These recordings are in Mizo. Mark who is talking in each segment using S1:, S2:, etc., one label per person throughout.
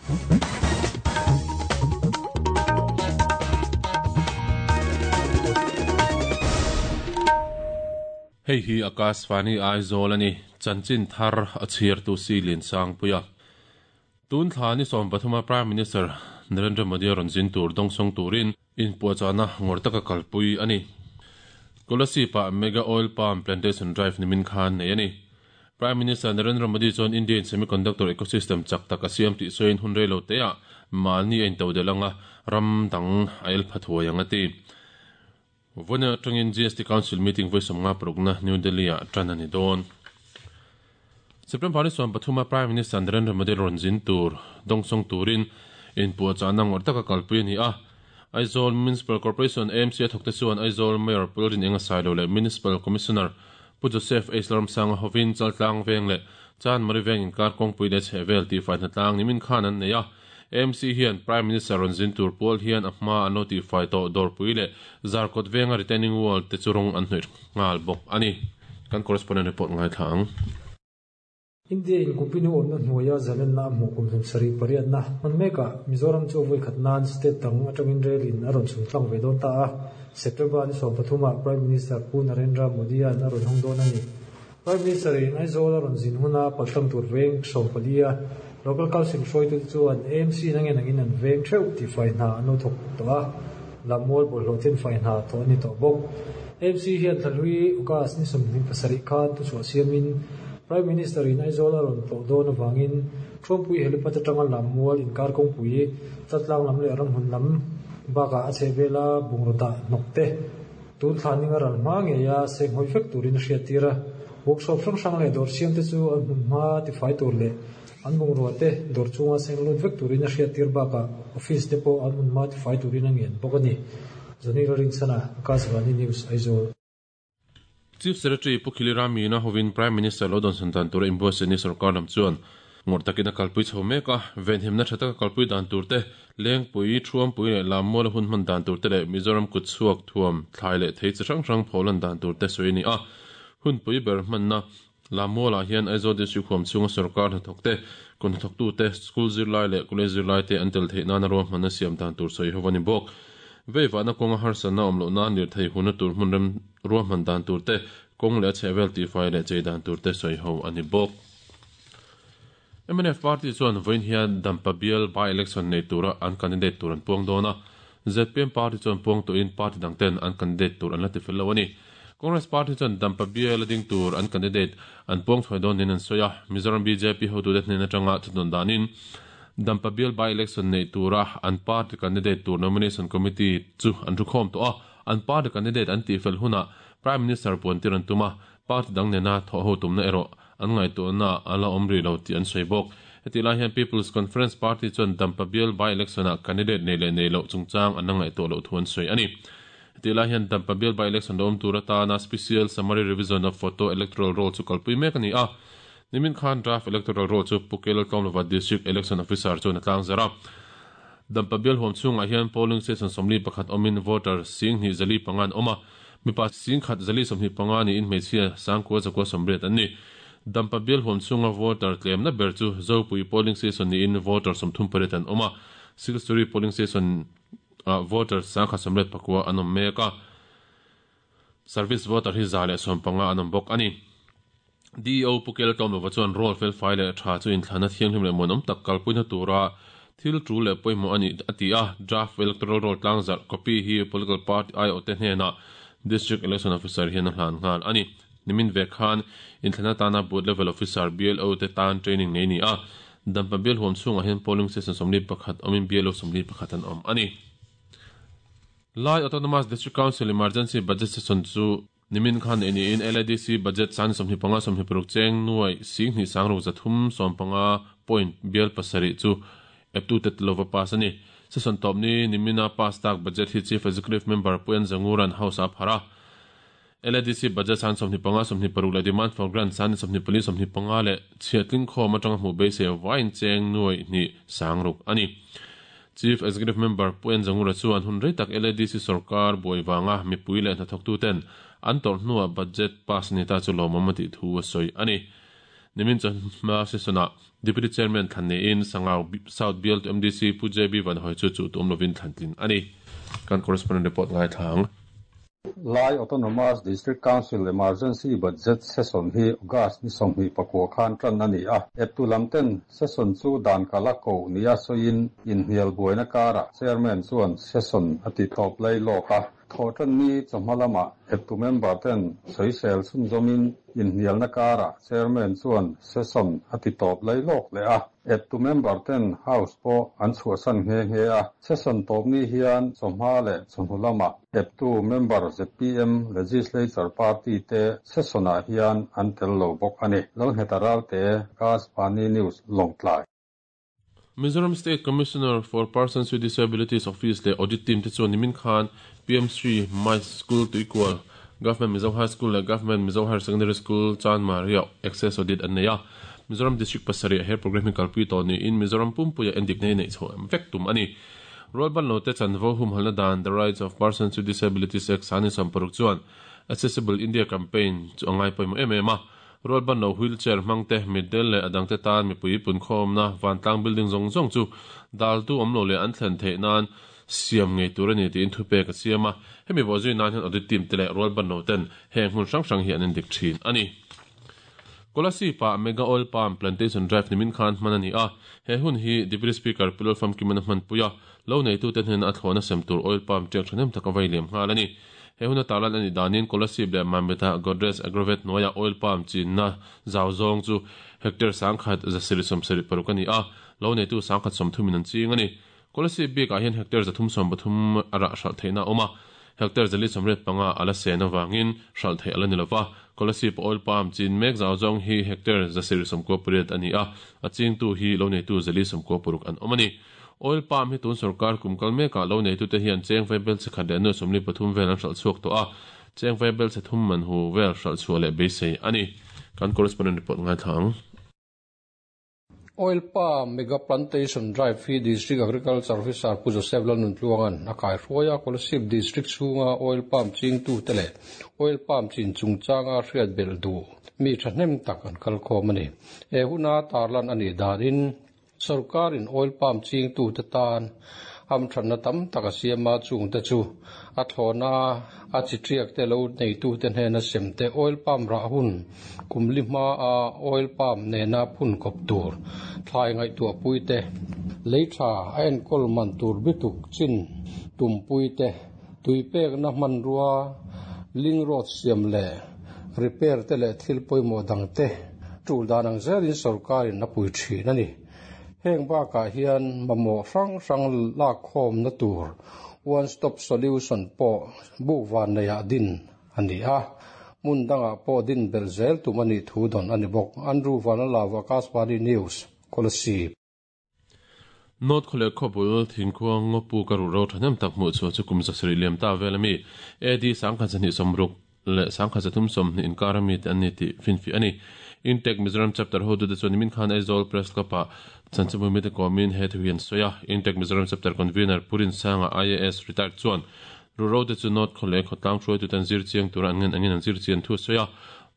S1: Hei hi Akashvani Aizawl a ni, chanchin thar a chhiartu si Liansangpuia. Tun thla ni sawmpathuma Prime Minister Narendra Modi a rawn zin tur dawngsawng turin inpuahchahna ngawrh taka kalpui a ni. Kolasib-ah Mega Oil Palm Plantation Drive nimin khan nei a ni. Prime Minister Narendra Modi chuan India-in semiconductor ecosystem chak tak a siam tih sawiin hun rei lo teah mahni a intodelh anga ram dang a el pha thuai ang a ti. Vawiin atangin GST Council meeting vawi sawmnga parukna New Delhi-ah tan a ni dawn. September ni 13 a Prime Minister Narendra Modi rawn zin tur dawngsawng turin inpuahchahna ngawrh taka kalpui a ni a. Aizawl Municipal Corporation, AMC, a thawkte chuan Aizawl Mayor Pu Rinenga Sailo leh Municipal Commissioner Pu Joseph H Lalramsanga hovin Chaltlang Veng leh Chanmari Veng inkar kawngpui leh chhehvel tihfai hnatlang nimin khan an nei a. AMC hian Prime Minister rawn zin tur pual hian a hma an lo tihfai tawh dawrpui leh Zarkawt venga retaining wall te chu rawng an hnawih nghal bawk a ni. Kan correspondent report ngaithla ang.
S2: India in kumpinu awmna hnuaia zalenna a hmuh kum hlum sarih pariatna hman mekah Mizoram chu vawi khat nan state dang atangin rel in a rawn chhun tlang ve dawn ta a, September ni 13 ah Prime Minister Pu Narendra Modi-a'n a rawn hawng dawn a ni. Prime Minister in Aizawl a rawn zin huna paltlang tur veng 14 a Local Council hruaitute chuan AMC in a ngen angin an veng theuh tih fai hna an lo thawk tawh a, Lammual bawlhhlawh then fai hna thawh a ni tawh bawk. AMC hian thlahlui August ni 27 khan thuchhuah siamin Prime Minister in Aizawl a rawn tlawh dawn avangin Thuampui helipad atanga Lammual inkar kawngpui Chaltlang lam leh Ramhmun lam bakah a chhehvela bungraw dah hnawk te Tun thla ning a ral hma ngeia senghawi vek turin a hriattir a, workshop hrang hrang leh dawr siam te chu an hmun hma tifai tur leh an bungrua te dawr chunga seng lut vek turin a hriattir bakah office te pawh an hmun hma tifai turin a ngen bawk a ni. Johnny Lalrinchhana, Akashvani News, Aizawl.
S1: Chief Secretary Pu Khili Ramina hovin Prime Minister lo dawnsawn dan tura inbuatsaih ni sorkar lam chuan ngawrh takin a kalpui chho mek a, venhimna tha taka kalpui dan tur te, Lengpui, Thuampui leh Lammuala hun hman dan tur te leh Mizoram kut chhuak thuam, thlai leh thei chi hrang hrang pholan dan tur te sawi a ni a. Hunpui ber hmanna Lammualah hian Aizawl District huam chhunga sorkar hnathawk te, kut hnathawktu te, school zirlai leh college zirlai te an tel theih nana ruahmanna siam dan tur sawi ho a ni bawk. Veivahna kawnga harsatna awm loh nan lirthei huna tur hmun rem ruahman dan tur te, kawng leh a chhehvel tihfai leh chei dan tur te sawi ho a ni bawk. Mnf party chuan vawiin hian Dampa bial by-election nei tura an candidate tur an puang dawn a, zpm party chuan puang tuahin party dang ten an candidate tur an la tifel lo a ni. Congress party chuan Dampa bial a ding tur an candidate an puang thuai dawn niin an sawi a, Mizoram bjp hotute hnen atanga thudawn danin Dampa bial by-election nei tura an party candidate tur nomination committee chu an thukhawm tawh a, an party candidate an tihfel hunah Prime Minister puantir an tum a, Party dang nena thawhho tumna erawh an ngaihtuahna a la awm rih lo tih an sawi bawk. Hetih lai hian People's Conference Party chuan Dampa bial by-election-ah candidate nei leh nei loh chungchang an la ngaihtuah loh thu an sawi a ni. Hetih lai hian Dampa bial by-election lo awm tur atana Special Summary Revision of Photo Electoral Roll chu kalpui mek a ni a. Nimin khan Draft Electoral Roll chu Pu Kelal Tlawmlova District Election Officer chuan a tlangzarh a. Dampa bial huam chhungah hian polling station 41 awmin voter 2405 an awm a. Mipa 1025 niin hmeichhia 9980 an ni. Dampa bial huam chhunga voter tlemna ber chu Zopui polling station niin voter 38 an awm a, Silsuri polling station ah voter 1189 an awm mek a, service voter hi 115 an awm bawk a ni. DEO Pu Kel Tlawmlova chuan roll felfai leh tha chu inthlahna thianghlim leh muanawm tak kalpuina tura thil tul leh pawimawh a ni a ti a, Draft Electoral Roll tlangzarh copy hi Political Party aiawhte hnenah District Election Officer hian a hlan nghal a ni. Nimin ve khan inthlahna tana Booth Level Officer, BLO, te tan training nei ni a, Dampa bial huam chhungah hian Polling Station 41 awmin BLO 41 an awm a ni. Lai Autonomous District Council Emergency Budget Session chu Nimin khan ei niin LADC budget san 25 26 cheng nuai 2 sang ruk 300 15 point bial pasarih chu eptu te lova pass a ni. Session tawp ni nimina pass tak budget hi Chief Executive Member Puian Zanguran House-ah a pharh a. LADC budget san 25 26 leh Demand for Grant san 24 25 leh chhiatling khawm atanga hmuh beisei vaiin cheng nuai hnih sang ruk a ni. Chief Executive Member Pu En Zangura chuan hun rei tak LADC sorkar buai vanga mipui leh hnathawktuten an tawrh hnuah budget pass ni ta chu lawmawm a tih thu a sawi a ni. Nimin chawhma session-ah Deputy Chairman thlan niin Sangau South bialtu MDC Pu JB Vanhawi chu chuh tum lovin thlan tlin a ni. Kan correspondent report ngaithla ang.
S3: Lai Autonomous District Council Emergency Budget Session hi August ni 24 khan tan a ni a. Eptu lam ten session chu dan kala ko nia sawiin inhnial buaina karah Chairman chuan session a ti tawp lai lawk a. Thawhtan ni chawhma lamah eptu member ten sawisel chhunzawmin inhnialna karah Chairman chuan session a ti tawp lai lawk leh a. Eptu member ten house pawh an chhuahsan nghe nghe a. Session tawp ni hian chawhma leh chawhnu lamah eptu member ZPM Legislature Party te session-ah hian an tel lo bawk a ni. Lalngheta Ralte, Akashvani News, Lawngtlai.
S1: Mizoram State Commissioner for Persons with Disabilities Office leh Audit Team te chuan nimin khan PM Shri My School Tuikual, Government Mizo High School leh Government Mizo Higher Secondary School Chanmari-ah Access Audit an nei a. Mizoram District pasarih he programme hi kalpui tawh niin Mizoram pumpuia endikna hi neih chhoh vek tum a ni. Rualbanlo te chanvo humhalna dan The Rights of Persons with Disabilities Act sani 60 chuan Accessible India Campaign chu a ngai pawimawh em em a. Rualbanlo wheelchair hmang te, mitdel leh a dangte tan mipui punkhawmna vantlang building zawng zawng chu daltu awm lo leh an thlen theih nan siam ngei tur a ni tiin thupek a siam a. Hemi bawhzui nan hian audit team te leh rualbanlo ten heng hmun hrang hrang hi an endik thin a ni. Kolasib-ah Mega Oil Palm Plantation Drive nimin khan hman a ni a, he hun hi Deputy Speaker Pu Lalfamkimana hmanpui a, lo neitute hnena a thlawhna sem tur oil palm tiak thahnem tak a vei liam nghal a ni. He huna tarlan a nih danin Kolasib leh Mamit-ah Godrej Agrovet hnuaiah oil palm chinna zau zawng chu hectare 1726 a ni a, lo neitu 130 in an ching a ni. Kolasib bikah hian hectare 373 a rah hralh theihna a awm a, hectare 485 a la sen avangin hralh theih a la ni lo va. Kolasib oil palm chin mek zau zawng hi hectare 998 a ni a, a chingtu hi lo neitu 496 an awm a ni. Oil palm hi tun sorkar kum kal mekah lo neitute hian cheng vaibel chhe khat leh nuai 43 vel an hralh chhuak tawh a, cheng vaibel chhe thum man hu vel hralh chhuah leh beisei a ni. Kan correspondent report ngaithla ang.
S3: Oil palm mega plantation drive hi District Agriculture Officer Pu Joseph Lalnuntluanga'n a kaihruai a, Kolasib District chhunga oil palm chingtute leh oil palm chin chungchanga hriat belh duh mi thahnem tak an kalkhawm a ni. He huna tarlan a nih danin Sorkarin oil palm chingtute tan hamthatna tam tak a siam a, chungte chu a thlawhna a chi tiak te lo neitute hnena sem te, oil palm rah hun kum li hma a oil palm nena phun kawp tur thlai ngaihtuahpui te, lei tha a enkawl man tur bituk chin tumpui te, tui pekna hmanrua link road siam leh repair te leh thil pawimawh dang te tul dan ang zelin sorkarin a pui thin a ni. Heng bakah hian mamawh hrang hrang lakkhawmna tur one stop solution pawh buk van neiah din a ni a, hmun dangah pawh din belh zel tum a nih thu dawn a ni bawk. Andrew Vanlalava, Akashvani News, Kolasib.
S1: North khawleh khawbul thingkhua ngawpu ka ruh ro thahnem tak hmuh chhuah chu kum 7 liam ta vel ami AD 1260 leh 1320 inkar ami te an ni tih finfiah a ni. Intech Mizoram Chapter hotute chuan nimin khan Aizawl Press Club-ah chanchinbu mite kawmin he thu hi an sawi a. Intech Mizoram Chapter Convener Pu Rinsanga IAS retired chuan ruhro te chu North khawleh khawtlang hruaitute an zir chiang tura an ngen angin an zir chian thu a sawi a.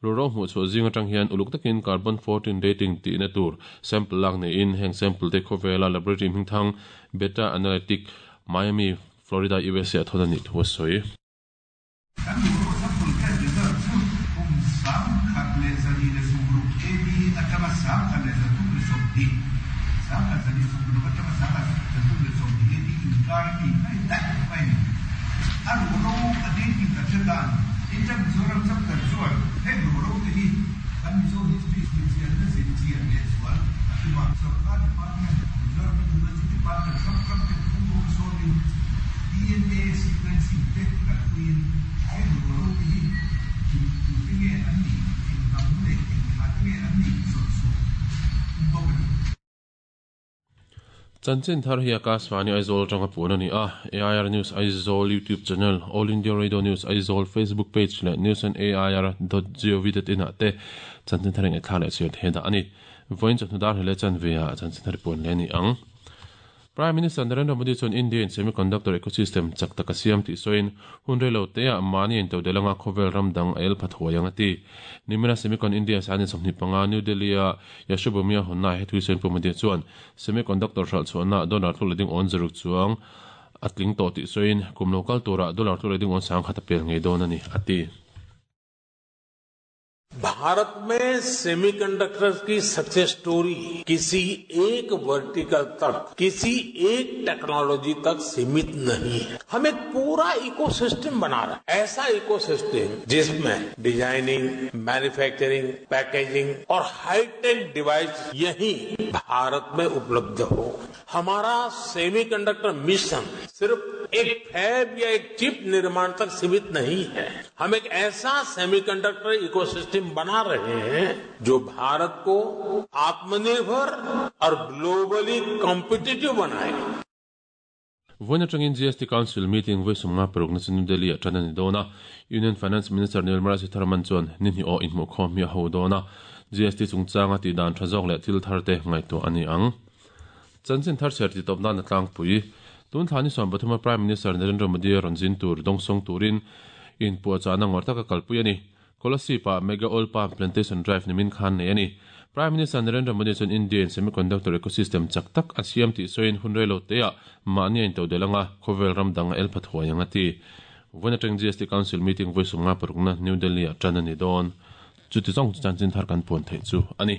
S1: Ruhro hmuh chhuah zing atang hian uluk takin carbon 14 dating tihna tur sample lak neiin heng sample te khawvela laboratory hmingthang Beta Analytic, Miami, Florida, USA a thawn a nih thu a sawi.
S4: Kan ruhro sample test result chu kum 1926 AD atanga 1330, 1326 atanga 1320 AD inkar a mi mai daih mai a ni. A ruhro a dating kan hre dan. Inter Mizoram chapter chuan heng ruhro te hi kan Mizo history zirchianna zirchian leh zual a tum a. Sorkar department, Mizoram University department hrang hrang te thu sawmin DNA sequencing te kalpuiin heng ruhro te hi eng tute nge an nih, eng hnam leh eng thla te nge an nih zawt chhuah tum bawk a ni.
S1: Chanchin thar hi Akashvani Aizawl atanga puan a ni a, AIR News Aizawl YouTube channel, All India Radio News Aizawl Facebook page leh news on air dot gov dot in ah te chanchin thar in ngaihthla leh chhiar thei dah a ni. Vawiin chawhnu dar hlei leh chanve ah chanchin thar i puan leh a ni ang. Prime Minister Narendra Modi chuan India in semiconductor ecosystem chak tak a siam tih sawiin, hun rei lo teah mahni intodelh anga khawvel ram dang a el pha thuai ang a ti. Nimina Semicon India sani 25 New Delhi-a Yashobhoomi-a hawnnaah he thui sawiin Pu Modi chuan semiconductor hralh chhuahna dollar tluk leh ding awn zaruk chuang a tling tawh tih sawiin, kum lo kal turah dollar tluk leh ding awn 10,000 a pel ngei dawn a ni, a ti.
S5: Bharat में semiconductors की success story किसी एक vertical तक, किसी एक technology तक सीमित नहीं है। हम एक पूरा इकोसिस्टम बना रहे हैं, ऐसा इकोसिस्टम जिसमें designing, manufacturing, packaging और hi tech device यही भारत में उपलब्ध हो। हमारा सेमीकंडक्टर मिशन सिर्फ एक फैब या एक चिप निर्माण तक सीमित नहीं है। हम एक ऐसा सेमीकंडक्टर इकोसिस्टम बना रहे हैं जो भारत को आत्मनिर्भर और ग्लोबली कॉम्पिटिटिव बनाए।
S1: Vawiin atangin GST Council meeting vawi 56 na chu New Delhi ah tan a ni dawn a. Union Finance Minister Nirmala Sitharaman chuan ni hnih awh inhmuhkhawm hi a ho dawn a. GST chungchanga tih dan tha zawk leh thil thar te ngaihtuah a ni ang. Chanchin thar chher ti tawp nan a tlangpui. Tun thla ni 13 a Prime Minister Narendra Modi a rawn zin tur dawngsawng turin inpuahchahna ngawr taka kalpui a ni. Kolasib ah Mega Oil Palm Plantation Drive nimin khan nei a ni. Prime Minister Narendra Modi chuan India in semiconductor ecosystem chak tak a siam tih sawiin hun rei lo teah mahni a intodelh anga khawvel ram dang a el pha thuai ang a ti. Vawiin atang GST Council meeting vawi 56 na New Delhi ah tan a ni dawn. Chuti zawng chu chanchin thar kan puan theih chu a ni.